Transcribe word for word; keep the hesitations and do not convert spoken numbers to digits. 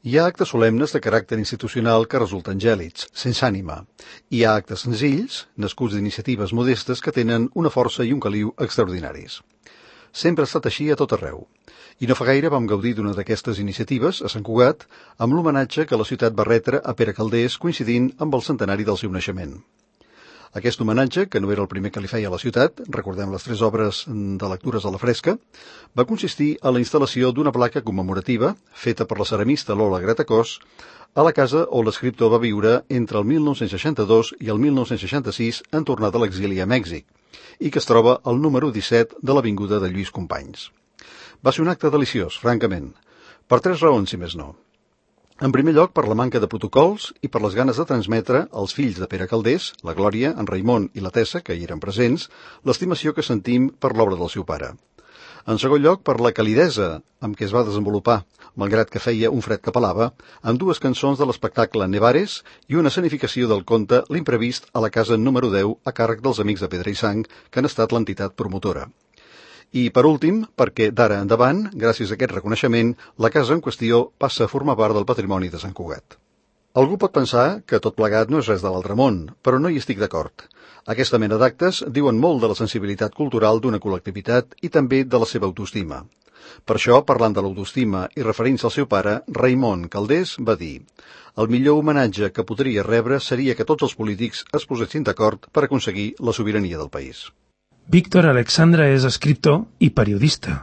Hi ha actes solemnes de caràcter institucional que resulten gèlids, sense ànima. Hi ha actes senzills, nascuts d'iniciatives modestes que tenen una força i un caliu extraordinaris. Sempre ha estat així a tot arreu. I no fa gaire vam gaudir d'una d'aquestes iniciatives, a Sant Cugat, amb l'homenatge que la ciutat va retre a Pere Calders coincidint amb el centenari del seu naixement. Aquest homenatge, que no era el primer que li feia a la ciutat, recordem les tres obres de lectures a la fresca, va consistir a la instal·lació d'una placa commemorativa, feta per la ceramista Lola Gratacós, a la casa on l'escriptor va viure entre el mil nou-cents seixanta-dos i el mil nou-cents seixanta-sis en tornar de l'exili a Mèxic, i que es troba al número disset de l'avinguda de Lluís Companys. Va ser un acte deliciós, francament, per tres raons, si més no. En primer lloc, per la manca de protocols i per les ganes de transmetre als fills de Pere Calders, la Glòria, en Raimon i la Tessa, que hi eren presents, l'estimació que sentim per l'obra del seu pare. En segon lloc, per la calidesa amb què es va desenvolupar, malgrat que feia un fred que pelava, amb dues cançons de l'espectacle Nevares i una escenificació del conte L'imprevist a la casa número deu a càrrec dels Amics de Pedra i Sang, que han estat l'entitat promotora. I, per últim, perquè d'ara endavant, gràcies a aquest reconeixement, la casa en qüestió passa a formar part del patrimoni de Sant Cugat. Algú pot pensar que tot plegat no és res de l'altre món, però no hi estic d'acord. Aquesta mena d'actes diuen molt de la sensibilitat cultural d'una col·lectivitat i també de la seva autoestima. Per això, parlant de l'autoestima i referint-se al seu pare, Raimon Calders va dir: el millor homenatge que podria rebre seria que tots els polítics es posessin d'acord per aconseguir la sobirania del país. Víctor Alexandre és escriptor i periodista.